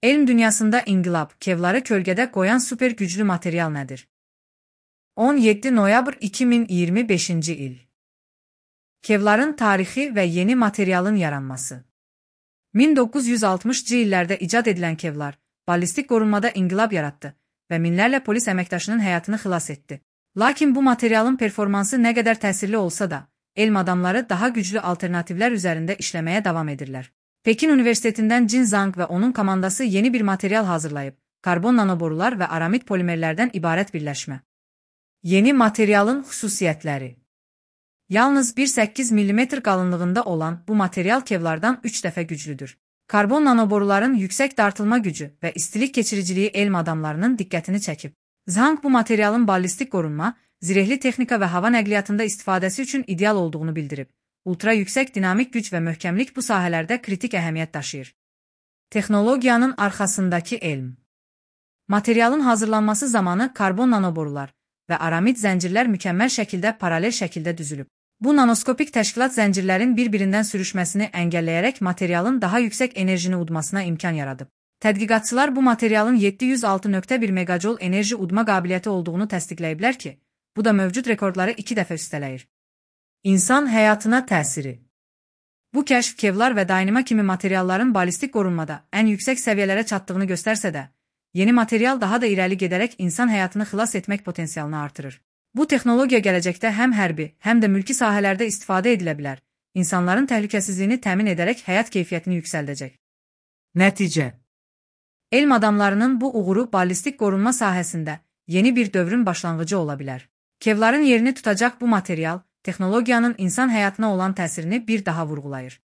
Elm dünyasında inqilab, kevları kölgədə qoyan super güclü material nədir? 17 noyabr 2025-ci il. Kevların tarixi və yeni materialın yaranması. 1960-cı illərdə icad edilən kevlar, ballistik qorunmada inqilab yaratdı və minlərlə polis əməkdaşının həyatını xilas etdi. Lakin bu materialın performansı nə qədər təsirli olsa da, elm adamları daha güclü alternativlər üzərində işləməyə davam edirlər. Pekin Universitetindən Jin Zhang və onun komandası yeni bir material hazırlayıb, karbon nanoborular və aramid polimerlərdən ibarət birləşmə. Yeni materialın xüsusiyyətləri. Yalnız 1,8 mm qalınlığında olan bu material kevlardan 3 dəfə güclüdür. Karbon nanoboruların yüksək dartılma gücü və istilik keçiriciliyi elm adamlarının diqqətini çəkib. Zhang bu materialın ballistik qorunma, zirehli texnika və hava nəqliyyatında istifadəsi üçün ideal olduğunu bildirib. Ultra yüksək dinamik güc və möhkəmlik bu sahələrdə kritik əhəmiyyət daşıyır. Texnologiyanın arxasındakı elm. Materialın hazırlanması zamanı karbon nanoborular və aramid zəncirlər mükəmməl şəkildə paralel şəkildə düzülüb. Bu nanoskopik təşkilat zəncirlərin bir-birindən sürüşməsini əngəlləyərək materialın daha yüksək enerjini udmasına imkan yaradıb. Tədqiqatçılar bu materialın 706,1 megajol enerji udma qabiliyyəti olduğunu təsdiqləyiblər ki, bu da mövcud rekordları 2 dəfə üstələyir. İnsan həyatına təsiri. Bu kəşf kevlar və dayanma kimi materialların ballistik qorunmada ən yüksək səviyyələrə çatdığını göstərsə də, yeni material daha da irəli gedərək insan həyatını xilas etmək potensialını artırır. Bu texnologiya gələcəkdə həm hərbi, həm də mülki sahələrdə istifadə edilə bilər, insanların təhlükəsizliyini təmin edərək həyat keyfiyyətini yüksəldəcək. Nəticə. Elm adamlarının bu uğuru ballistik qorunma sahəsində yeni bir dövrün başlanğıcı ola bilər. Kevların yerini tutacaq bu material, texnologiyanın insan həyatına olan təsirini bir daha vurğulayır.